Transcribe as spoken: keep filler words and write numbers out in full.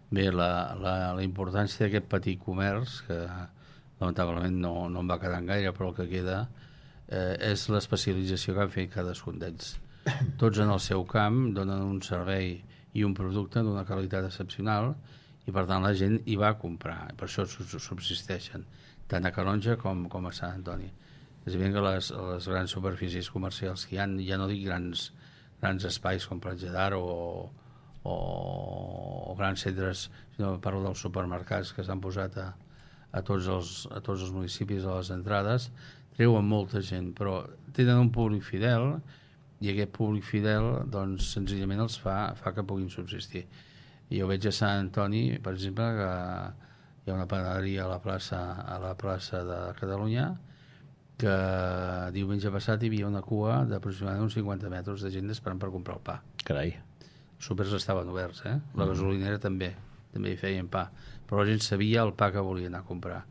Bé, la, la, la importància d'aquest petit comerç, que lamentablement no, no en va quedar gaire, però el que queda eh, és l'especialització que han fet cadascun d'ells. Tots en el seu camp donen un servei i un producte d'una qualitat excepcional i per tant la gent hi va a comprar, per això subsisteixen tant a Calonge com, com a Sant Antoni. És evident que les, les grans superfícies comercials que hi ha, ja no dic grans, grans espais com Platja d'Aro o, o, o grans centres, sinó parlo dels supermercats que s'han posat a, a, tots els, a tots els municipis a les entrades, treuen molta gent, però tenen un públic fidel i aquest públic fidel doncs senzillament els fa, fa que puguin subsistir. I jo veig a Sant Antoni, per exemple, que hi ha una panaderia a la plaça, a la plaça de Catalunya, que diumenge passat hi havia una cua d'aproximadament uns cinquanta metres de gent esperant per comprar el pa. Carai. Els súpers estaven oberts, eh? La gasolinera també, també hi feien pa, però la gent sabia el pa que volia anar a comprar.